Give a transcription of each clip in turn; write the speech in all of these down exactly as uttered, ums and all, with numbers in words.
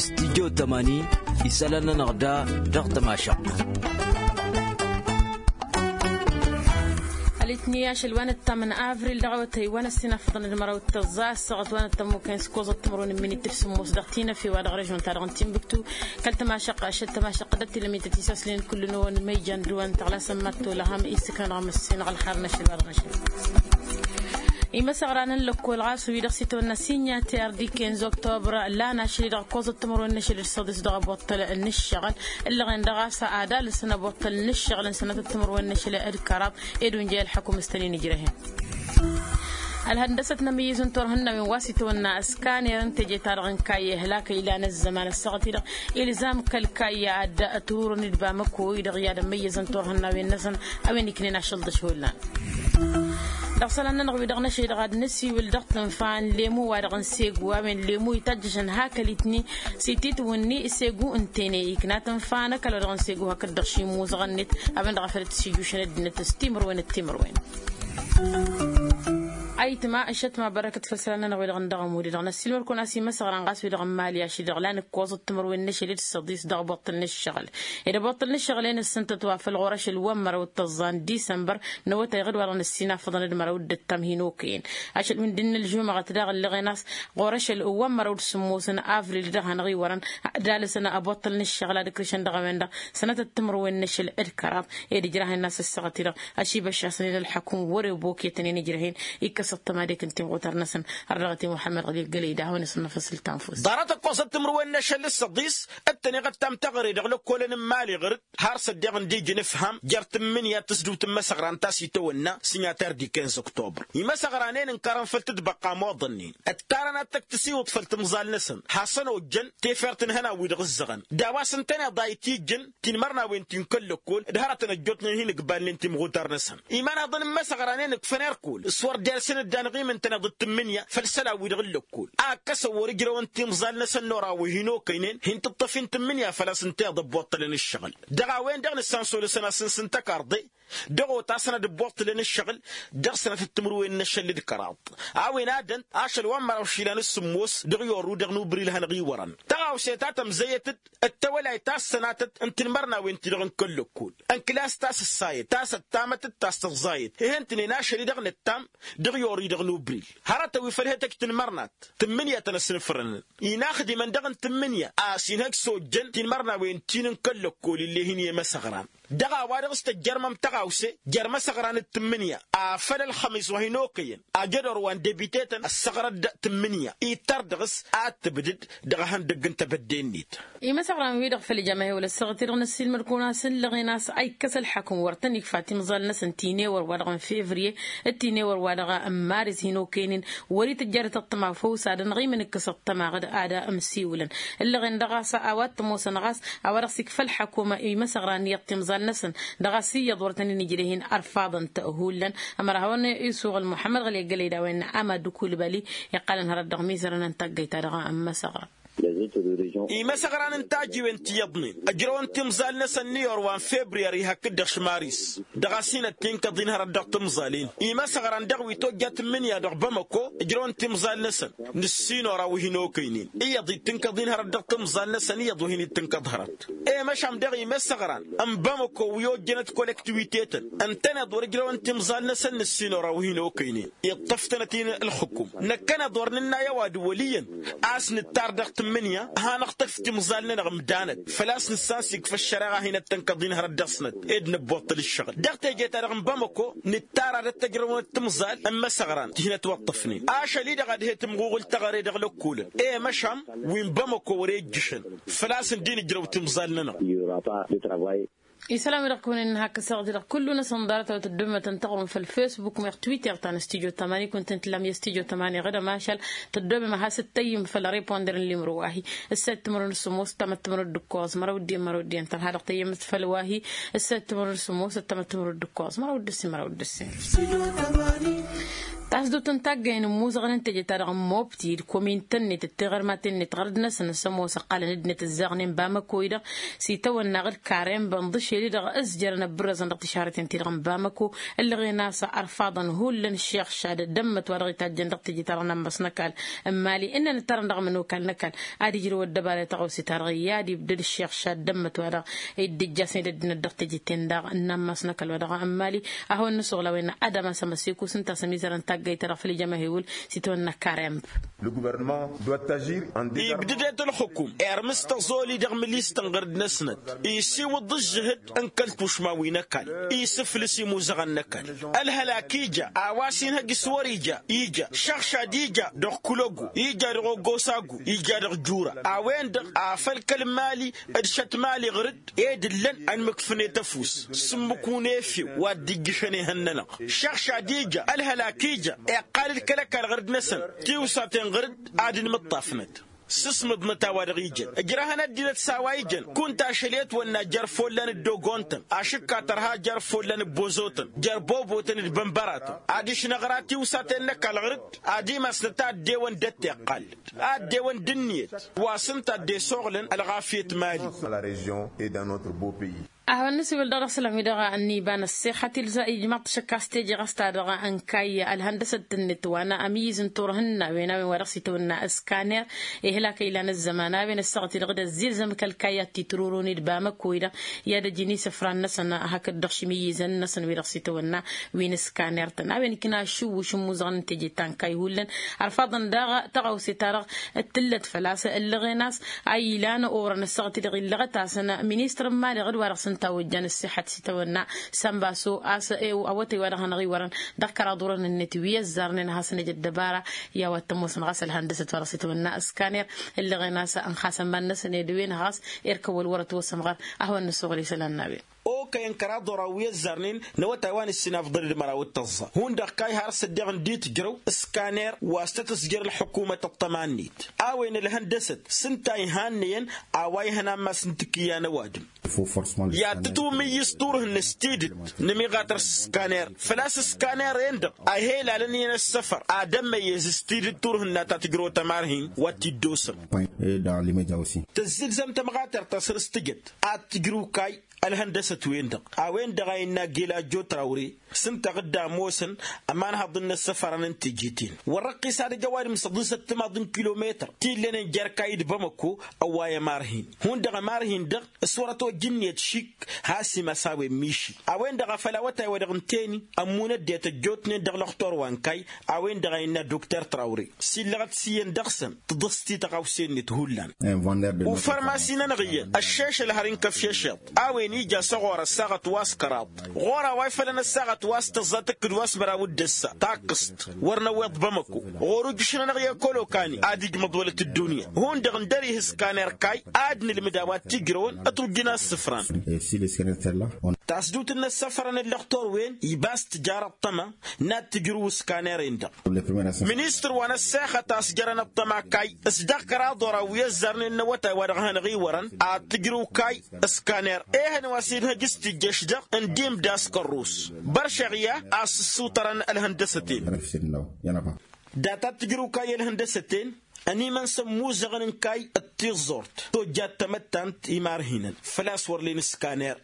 Studyo tămani isălan-nănăɣ da dăɣ-tămašăɣt. Ălitni ašăl wa nǝttam n-avril dăɣ-awătay wa n-ăssinafăḍăn d-măraw d-tăẓẓa ăssaɣăt wa nǝttam okăyăn s-ikoẓăt timărwen n-minit f-sǝmmos dăɣ-tinăfe wa dăɣ-režon-ta-dăɣ n-tinbǝktu. Kăl-tămašăqqa ašăl tămašăqqa d-ăttilămit ătisaslen kullu-năwăn ma ijan dăɣ-wăn tăɣlasăn mad-tolăhăm isǝknăn dăɣ-măssinăɣ ălxarăn ašăl wa dăɣ-năšăl. Imăsăɣran n-lăkkol ɣas wi-dăɣ s-itwănna sinyati ardiken z-oktobr lan ašăl-i-dăɣ ǝkkoẓăt timărwen n-ašăl d-săḍis dăɣ-aboṭṭăl n-ǝššăɣǝl. Ǝllăɣen dăɣ-a-s ad-alǝsăn aboṭṭăl n-ǝššăɣǝl n-sănatăt timărwen n-ašăl d-kăraḍ ed unjăy ălḥăkum s-tăn-in-ǝjrăhen. Ălhăndăsăt n-amǝyyǝz n-turhǝnnawen wa s-itwănna s-kaner n-teje-ta-dăɣ n-kayya ihlak ilan ăzzăman ăssaɣăt-i-dăɣ ilzam kăl-kayya ad-turǝn d-bamăko-i-dăɣ i-ad-ămmăyyăzăn turhǝnnawen-năsăn. A-wen iknen ašăl d-ašhullan dăɣ-isălan-nănăɣ wi-dăɣ n-ašăl-i-dăɣ ad-nǝsiwǝl dăɣ-tǝnfa n-lemu wa-dăɣ n-segu a-wen lemu itajjăšăn hak ălitni s-ititwǝnni segu ǝntăyne ikna tǝnfa n-ăkall wa dăɣ-n segu hakd-dăɣ šimuzăɣ-net. A-wen-dăɣ a făl t-sijušăn ăddinăt s-timărwen d-timărwen. Ayǝtma ǝššătma bărăkăt făll-isălan-nănăɣ wi-dăɣ n-dăɣ-ămud-i-dăɣ n-ăssiilmăr-kăwăn a-s imăsăɣran ɣas wi-dăɣ n-imali ašăl-i-dăɣ lan ǝkkoẓăt timărwen n-ašăl d-săḍis dăɣ-aboṭṭăl n-ǝššăɣǝl. Ed aboṭṭăl n-ǝššăɣǝl-en ǝssǝntăt wa făl ɣur-ašăl wa n-măraw d-tăẓẓa n-disămbăr n-awătay iɣǝd wa dăɣ-năssinafăḍăn d-măraw d-ǝttam hin-okăyăn. Ašăl wi n-dd-innă ălžumăɣăt daɣ ǝllăɣen a-s ɣur-ašăl wa n-măraw d-sǝmmos n-avril dăɣ-hanăɣ-iwărăn ad-alǝsăn aboṭṭăl n-ǝššăɣǝl ad-ǝkrǝšăn dăɣ-a-wen-dăɣ sănatăt timǝrwen n-ašăl d-kăraḍ. Ed ǝjrah-en a-s ăssaɣăt-i-dăɣ ašibăššasăn-in ălḥăkum wăr-e boketăn-in ǝjrăh-in. Ikkăs ăṭṭămadek n-timɣutar-năsăn har dăɣ-t i-muḥămmăd ɣăli gălăy d-ad-hawăn-isǝnnăfăs ǝltanfus. Ḍarăt ăkkoẓăt timǝrwen n-ašăl d-săḍis d-tăn-iɣăttam taɣăre dăɣ-lăkkolăn n-imali ɣǝr-dd har s-ăddeɣ ǝndi ǝjǝn ǝfham jer-tǝmmǝnǝya tǝsdǝwt n-imăsăɣran ta s-itawănna s-inyăter d-iken s-oktobr. Imăsăɣran-en ǝnkărăn făll-tǝtbăqqa ămoḍănnen ăttarăn ad-tăkk tǝsiwǝḍ făll-timẓal-năsăn hasăn-ojjăn tefert n-ihănan-wi-dăɣ ǝzzăɣăn d-a-wa s-ǝntăneḍ a itijjăn tinmărnawen ti n-kăl-lăkkol d-hărătăn ăjjootnen hin-ǝgballnen timɣutar-năsăn. Imanăḍăn n-imăsăɣranen ǝkfăn erkul s-wăr dersen dd-anăɣ-imǝntăneḍ d-tǝmmǝnǝya făll-isălan-wi-dăɣ n-lăkkol a ǝkkăsăn wăr-ǝjrăwăn timẓal-năsăn n-oraw wi hin-okăynen hin-tǝṭṭăf-in tǝmmǝnǝya făl-a-s ǝnta iḍăbbotălăn ǝššăɣǝl. Dăɣ-a wen-dăɣ nǝssansolăsăn asǝns n-tăkarḍe dăɣ-otasăn ad-ǝbboṭṭǝlăn ǝššăɣǝl dăɣ-sănatăt timǝrwen n-ašăl d-kăraḍ. A-wen ad-ănt ašăl wa n-măraw išilan s-sǝmmos dăɣ-i orru dăɣ-nubril hanăɣ-iwărăn tăɣawse ta tămzăyăt-dd d-tawălayt ta s-sănatăt n-tinmărnawen-ti-dăɣ n-kăl-lăkkol n-klas ta s-ǝssayăt ta s-ăttamătăt ta s-tǝẓẓayăt. Ih'-ǝntǝnen ašăl-i-dăɣ nǝttam dăɣ-i orru-i-dăɣ nubril hărătăn wi făl he-tăj tinmărnat tǝmmǝnǝya tăn-ăsnǝfrănăn inaxdimăn dăɣ-n tǝmmǝnǝya a-s inhăj s-ojjăn tinmărnawen-ti n-kăl-lăkkol ill'-e-hin i-imăsăɣran. Dăɣ-a-wa dăɣ-s tăjjărmăm tăɣawse jer-imăsăɣran d-tǝmmǝnǝya afăl ălxămis wa hin-okăyăn ajădor wa n-debitetăn ăssăɣrăd tǝmmǝnǝya ittăr dăɣ-s ad-tǝbdǝd dăɣ-ehăndăgg n-tebădde-net. Imăsăɣran-wi-dăɣ făll-ijam ehewăl ăssaɣăt-i-dăɣ n-ăssiilmăd-kăwăn a-s ǝllăɣen a-s a ikkăs ălḥakǝm wăr tăn-ikfa timẓal-năsăn tinewăr wa dăɣ-n fevriye d-tinewăr wa dăɣ-n maris hin-okăynen wăr-itǝjjărăt ăṭṭăma făw s-ad-ănɣimǝn ǝkkăs ăṭṭăma ɣǝd ad-ămsiwǝlăn. Ǝllăɣen-dăɣ a-s a-wa t-ămoosăn ɣas a-wa dăɣ-s ikfa ălḥakuma i-imăsăɣran iyyăḍ timẓal-năsăn dăɣ-a-s iyyăḍ wăr tăn-in-ǝjrăh-in ărfaḍăn-t hullan. Ămăra hawăn-isuɣǝl muḥămmăd ɣăli ăggălăy d-a-wen n-amad d-kulbali iqqălăn hărăt dăɣ-mizărăn n-taggăyt-ta-dăɣ n-imăsăɣran. Imăsăɣran n-tajiwen ti iyyăḍnen ǝjrăwăn timẓal-năsăn n-iyyăr wa n-febriyări hakd-dăɣ šmaris dăɣ-a-s hin-ăttinkăḍ-in hărăt dăɣ-timẓal-in. Imăsăɣran dăɣ-wi tojja tǝmmǝnǝya dăɣ-bamăko ǝjrăwăn timẓal-năsăn nǝssin oraw wi hin-okăynen iyyăḍ ittǝnkăḍ-in hărăt dăɣ-timẓal-năsăn iyyăḍ wa hin-ittǝnkăḍ hărăt. I-măšan dăɣ-imăsăɣran n-bamăko wi ojjănăt kolektiwite-tăn ǝntăneḍ wăr-ǝjrăwăn timẓal-năsăn nǝssin oraw wi hin-okăynen iṭṭăf-tănăt-in ǝlxǝkum. Năkkăneḍ wăr nǝnna i-ăwadǝm wăl' iyyăn a-s nǝttar dăɣ-tǝmmǝnǝya ad-hanăɣ-tăkf timẓal-nănăɣ ǝmdanăt făl-a-s nǝssan s-ikfa ăššăreɣa a hin-ăttănkăḍ-in hărăt dăɣ-snăt ed nǝbbuṭṭăl ǝššăɣǝl dăɣ-teje-ta-dăɣ n-bamăko. Nǝttar ad-ăttăjrăwăn timẓal n-imăsăɣran ti hin-ătwăṭṭăfnen ašăl-i-dăɣ ad-he-tǝmɣuɣǝl teɣăre dăɣ-lăkkolăn i-măšan wi n-bamăko wăr-e ǝjjǝšăn făl-a-s ǝndi nǝjrăw timẓal-nănăɣ. Isălan-wi-dăɣ kăwăn-innă hakk ăssaɣăt-i-dăɣ kullu-năsăn ḍarăt a-wa tăddomem ad-tăn-taɣrǝm făll-fesbuk meɣ twitter ta n-studyo tămani kunta ǝntǝllam i-studyo tămani ɣǝd ămašal tăddomem ad-has-ǝttăyyǝm făll-riponder n-limro wa-hi. Ǝssa d-timǝrwen d-sǝmmos ǝttamăt timǝrwen d-ǝkkoẓ măraw d-iyyăn măraw d-iyyăn tărha dăɣ-tăyyămăt făll-wa-hi. Ǝssa d-timǝrwen d-sǝmmos ǝttamăt timǝrwen d-ǝkkoẓ măraw d-ǝssin măraw d-ǝssin. Asdut n-taggăyăn n-imuzăɣăn n-teje-ta-dăɣ n-mobti d-komin-tăn-net d-tiɣărmaten-net ɣărd-năsăn s-ămoos ăqqalăn ăddinăt ǝzzaɣnen bamăko-i-dăɣ s-itawănna ɣǝd karem bănḍǝšel i-dăɣ ǝzjărăn ăbbărrăẓăn dăɣ-tišarăten-ti-dăɣ n-bamăko. Ǝllăɣen a-s arfaḍăn hullan ǝššeɣšad d-ămmăt wa dăɣ-itajjăn dăɣ-teje-ta-dăɣ n-ammas n-ăkall. N-mali ǝnnăn ǝttarăn dăɣ-mănokal n-ăkall ad-ijrǝw ăddăbara i-taɣăwse-ta-dăɣ i-ad-ibdăd ǝššeɣšad d-ămmăt wa dăɣ-dd-ǝjjasnen ăddinăt dăɣ-teje-ten-dăɣ n-ammas n-ăkall wa dăɣ-n mali. Ad-hawăn-nǝsuɣǝl a-wen ad-ămas ămăseko s-ǝnta a-s ămizărăn taggayt-ta-dăɣ făll-ijămăhewǝl s-itawănna karemb. Ibdădet ălxǝkum irmǝs tăẓoli dăɣ-mǝlist n-ɣărd-năsnăt isiwǝḍ ǝžžǝhǝd n-kăl-tušma wi n-ăkall isǝflǝs imuzăɣăn n-ăkall. Ălhălak ija a-wa s-inhăj s-wăr-ija ija šăɣšad ija dăɣ-kulăgu ija dăɣ-ogosagu ija dăɣ-jura a-wen-dăɣ a făl kăl-mali d-šăt mali ɣǝr-dd ed ǝllăn ănmǝkfǝnet ăfuss s-ǝmmǝk unefew wa dd-ijjǝšăn ehăn-nănăɣ. Šăɣšad ija ălhălak ija iqqal-dd kăl-ăkall ɣǝr-dd-năsăn tiwsaten ɣǝr-dd ad-ǝnmǝṭṭafnăt s-ǝsmǝḍnăt a-wa-dăɣ ijăn ǝjrăhăn ăddinăt s-a-wa ijăn kunta ašăl i-ătwănna jer-follan d-ogon-tăn ašǝkka tărha jer-follan ăbbozotăn jer-bobotăn d-bănbăratăn ad-ǝšnăɣra tiwsaten n-ăkall ɣǝr-dd ad-imasnăt a ăddewăn d-ăttiqqal ad-ăddewăn d-ǝnniyăt wa s-ǝnta a dd-esoɣlăn ălɣafyăt mali. A hawăn-nǝsiwǝl dăɣ-dăɣ sălam-wi-dăɣ ănniba n-ăssexăt ilzam ijmaḍ-t šăkk a-s teje ɣas ta dăɣ-ănkayy ălhăndăsăt-net wa n-amǝyyǝz n-turhǝnnawen a-wen wa dăɣ-s itawănna ǝskaner. Ihlak ilan ăzzăman a-wen ăssaɣăt-i-dăɣ d-ăzzilzăm kăl-kayy ad-t-itrurun d-bamăko-i-dăɣ i-ad-ăjǝn isǝfran-năsăn hakd dăɣ-šimǝyyǝzăn-năsăn wi dăɣ-s itawănna wi n-ǝskaner-tăn a-wen ikna ašǝwwǝš n-imuzăɣăn n-teje ta n-kayy hullan. Ărfaḍăn daɣ tăɣawse-ta-dăɣ t-tǝllăt făl-a-s ǝllăɣen a-s a ilan orăn ăssaɣăt-i-dăɣ illăɣăt-asăn ministăr n-imali ɣǝd wa dăɣ-s ǝnta a ojjan ǝssixăt s-itawănna sănbaso a-s awătay wa dăɣ-hanăɣ-iwărăn dăɣ-kăraḍ orăn-net wi ăzzarnen ad-hasăn-ăj ăddăbara i-a-wa t-ămoosăn ɣas ălhăndăsăt wa dăɣ-s itawănna ǝskaner. Ǝllăɣen a-s ănxasăn iman-năsăn ed wen-dăɣ ɣas irkăwăl wăr-ătwăsămɣăr. A hawăn-nǝssuɣǝl isălan n-a-wen. Okăyăn kăraḍ oraw wi ăzzarnen n-awătay wa n-ǝssin afḍăl d-măraw d-tăẓẓa hundăɣ kayy har s-ăddiɣ ǝndi tǝjrăw ǝskaner wa s-tăt-ǝzjăr ălḥukumăt ăṭṭăma-net. A-wen ălhăndăsăt s-ǝnta ihannăyăn a-wa ihăn ammas n-tikǝyya n-ăwadǝm. I-ad-tǝtwǝmǝyyǝs turhǝnna s-tidǝt n-ămiɣatăr s-ǝskaner făl-a-s ǝskaner-en-dăɣ a ihelalăn iyyăn ăssăfăr ad-ămmăyyez s-tidǝt turhǝnna ta tǝjrăwăt ămarhin wa t-dd-osăm. Tăzzǝlzăm tămɣatărt ta săr-s tǝjăt ad-tǝjrǝw kayy ălhăndăsăt-wen-dăɣ a-wen-dăɣ a innă gela jot rawre s-ǝnta ɣǝdda ămoosăn ămanhăḍ n-inăssăfărăn n-teje-ten wăr-răqqis ad-ăj ăwadǝm săḍisăt timaḍ n-kilometăr t-illănen jer-kayy d-bamăko. Ăwway ămarhin hundăɣ ămarhin-dăɣ s-wăr-ătojj ǝnniyăt šik has-imas a-wen miši a-wen-dăɣ a făl awătay wa dăɣ-ǝnta eni ămmun ăddinăt ăjjootnen dăɣ-lăxtor wa n-kayy. A-wen-dăɣ a innă dokter trawre s-illăɣăt s-iyyăn dăɣ-săn tǝḍǝs-t i-tăɣawse-net hullan. Ufărmasi-nănăɣ iyyăn ăššešăl har inkăf i-ašeḍ a-wen ija s-ăɣor ăssaɣăt wa s-kăraḍ ɣur-a-wa ifălăn ăssaɣăt wa s-tăẓẓa tǝkkǝd wa s-măraw d-ăssa takkǝst. Wăr năwweḍ bămăko ɣur-ujǝš-nănăɣ i-kălokani ad-ijmăḍ wălăt ăddunya. Hundăɣ ǝndăr-ih ǝskaner kayy ad-nǝlmǝd a-wa t-ijrăwăn ătwǝjjǝn a ǝssǝfran. Tasdut n-inăssăfărăn n-lăxtor-wen iba s-tǝjar ăṭṭăma n-ad-tǝjrǝw ǝskaner-en-dăɣ. Ministăr wa n-ăssexăt a-s jărăn ăṭṭăma kayy s-dăɣ-kăraḍ oraw wi ăzzarnen n-awătay wa dăɣ-hanăɣ-iwărăn ad-tǝjrǝw kayy ǝskaner ehăn wa s-inhăj s-tijješ-dăɣ n-dimda s-kărrus. Băršăɣ i-a a-s ǝssutărăn ălhăndăsăt-en. Data d-tǝjrǝw kayy ălhăndăsăt-en ănimăn s-ămmuzăɣăn n-kayy d-tiẓẓurt tojjat tamăttant imarhinăn făl-a-s wăr len ǝskaner.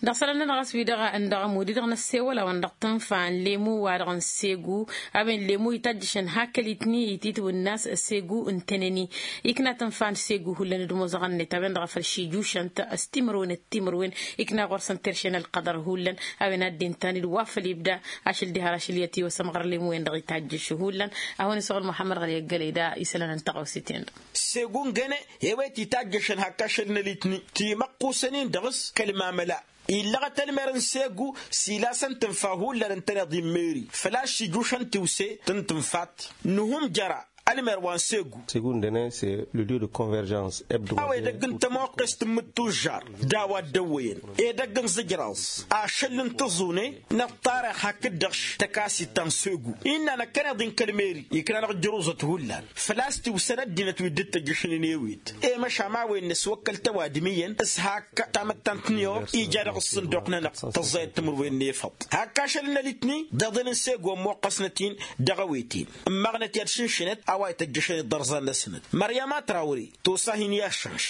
Dăɣ-isălan-nănăɣ a-s wi-dăɣ ǝndăɣ ămud-i-dăɣ n-ăssewăl-awăn dăɣ-tǝnfa n-lemu-wa-dăɣ n-segu a-wen lemu itajjăšăn hakăl-itni ititwǝnna a-s segu ǝntănăn-i. Ikna tǝnfa n-segu hullan d-imuzăɣăn-net a-wen-dăɣ a făl šijušăn-t s-timǝrwen d-timǝrwen. Ikna ɣur-săn terše n-ălqăḍăr hullan a-wen ad-dd-intan-dd wa făl ibda ašăl diha ar ašăl i-ătiwăsăm ɣur-lemu-wen-dăɣ itajjăš hullan. A hawăn-isăɣǝl muḥămmăd ɣăli ăggălăy da isălan n-taɣawse-ten-dăɣ. Segu n-găne i-wet itajjăšăn hak ašăl n-alitni timăqqusăn-in dăɣ-s kăl-mamăla. Illăɣăt ălmer n-segu s-ilasăn tǝnfa hullan ǝntăneḍ immeri făl-a-s ijušăn tiwse tǝntǝnfat. Nǝhum jăra Ălmer wa n-segu. Segu n-dăne s-e le lieu de convergence hebdomadaire. A-wa edăgg n-tămoqqest n-imǝttužžar d-a-wa dd-ăwwăyăn edăgg n-zǝjraẓ ašăl n-tăẓune n-ăṭṭarăɣ hakd-dăɣ tăkasit ta n-segu innă năkkăneḍ-i n-kăl-meri ikna-năɣ ǝjruzăt hullan. Făl-a-s tiwsăn ăddinăt wi dd-tăjjăšnen i-ewet i-măšan a-wen nǝswăkkăl tăwadǝm iyyăn s-hak tamăttant n-iyor ija dăɣ-ǝssǝnduq-nănăɣ tăẓẓayăt timǝrwen n-efăḍ. Hak ašăl n-ălitni d-iḍen n-segu ămmoqqăsnăt-in dăɣ-ewet-in ǝmmaɣnăt i-ad-šǝnšǝnăt a-wa ităjjăšăn iḍărẓan-năsnăt măryama trawre. Tosa hin-i-aššănš.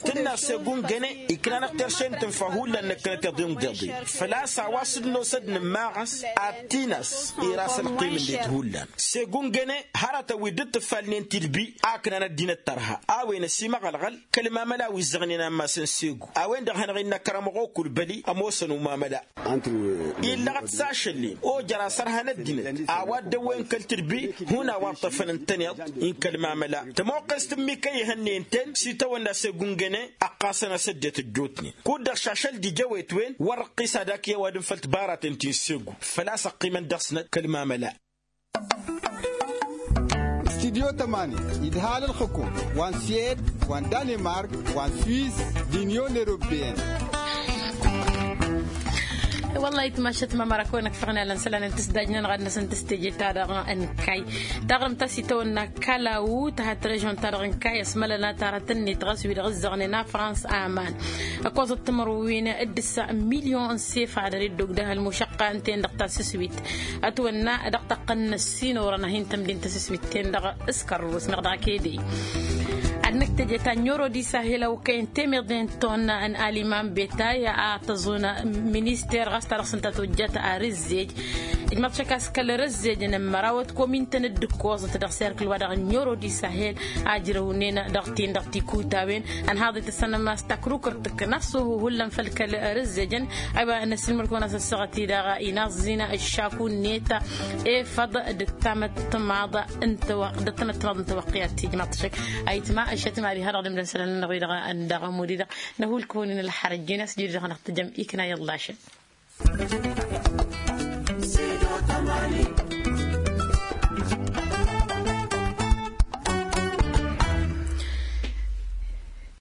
Tǝnna segu n-găne ikna-năɣ terše n-tǝnfa hullan năkkănăt iḍen d-iḍen făl-a-s a-wa s-dd-nosăd nǝmmaɣăs ad-t-in-as ira s-ălqim-net hullan. Segu n-găne hărătăn wi dd-tǝffalnen tilbi a ǝknan ăddinăt tărha a-wen ăsimăɣălɣăl kăl-mamăla wi ǝzzăɣnen ammas n-segu a-wen-dăɣ hanăɣ-innă kăramăɣ okul băli ămoosăn umamăla. Illăɣăt s-ašăl-in ojăr asărhan ăddinăt a-wa dd-ăwwen kăl-tǝrbi hun a-wa ǝṭṭăfăn ǝntăneḍ-i n-kăl-mamăla. Tămoqqest n-mika ihănnen-ten s-itawănna s-egungăne ăqqasăn-as ăddinăt ăjjootnen kud-dăɣ šašăl d-ija ăwet-wen wăr ǝqqis ad-ak i-ăwadǝm făll-tibaraten ti n-segu. Făl-a-s ăqqimăn dăɣ-snăt kăl-mamăla. Studyo tămani idhal ǝlxǝkum wa n-siyed wa n-danimark wa n-swiss d-inyon europeyăn. Wăllah itmašăt mamăra kăwăn-ăkfăɣ n-alăn sălan n-tǝsdajnăn ɣad-năsăn tǝstejeta dăɣ-a n-kay taɣrǝmt a-s itawănna kalawu tăhat režon-ta-dăɣ n-kay ăsmălăna tarăt-net ɣas wi-dăɣ ǝzzăɣnen a frans aman. Ăkoẓăt timărwin d-ǝssa milyon n-sefa dăr-dd-ogdăh ălmušăqqa ǝnta-en-dăɣ tasǝswit ătwănna dăɣ-taqqăn n-ăssinorăn a hin-tămdin tasǝswit-ten-dăɣ s-kărrus meɣ dăɣ-kede. Ad-năkk teje-ta n-oro d-isahil a okăyăn temeḍe n-tonna n-aliman betay a tăẓun minister ɣas ta dăɣ-s ǝnta tojjat arǝzzej. Ijmăḍ šăk a-s kăl-arǝzzej n-ămmăraw ătkom intăn dd-ǝkkoẓăt dăɣ-serkǝl wa dăɣ-n oro d-isahil a ǝjrăwnen dăɣ-tin-dăɣ tikutawen. Ănhaḍ itǝssăn ămass takrukărt tǝkkănaḍ s-oho hullan făll-kăl-arǝzzejăn. Aywa năssilmăr-kăwăn a-s ăssaɣăt-i-dăɣ inaẓẓin ǝššaku-net efăḍ d-tamăttămaḍ n-tawăqqi ad-tijmaḍ tǝššăk. Ayǝtma ăššăt mari hadăɣ-dăm d-ănsalăn-năɣ-wi-dăɣ n-dăɣ ămud-i-dăɣ. Năhul-kăwăn-in ălxărăjjin a-s jiri-dăɣ năɣ-tǝjăm ikna i-ăllašăn.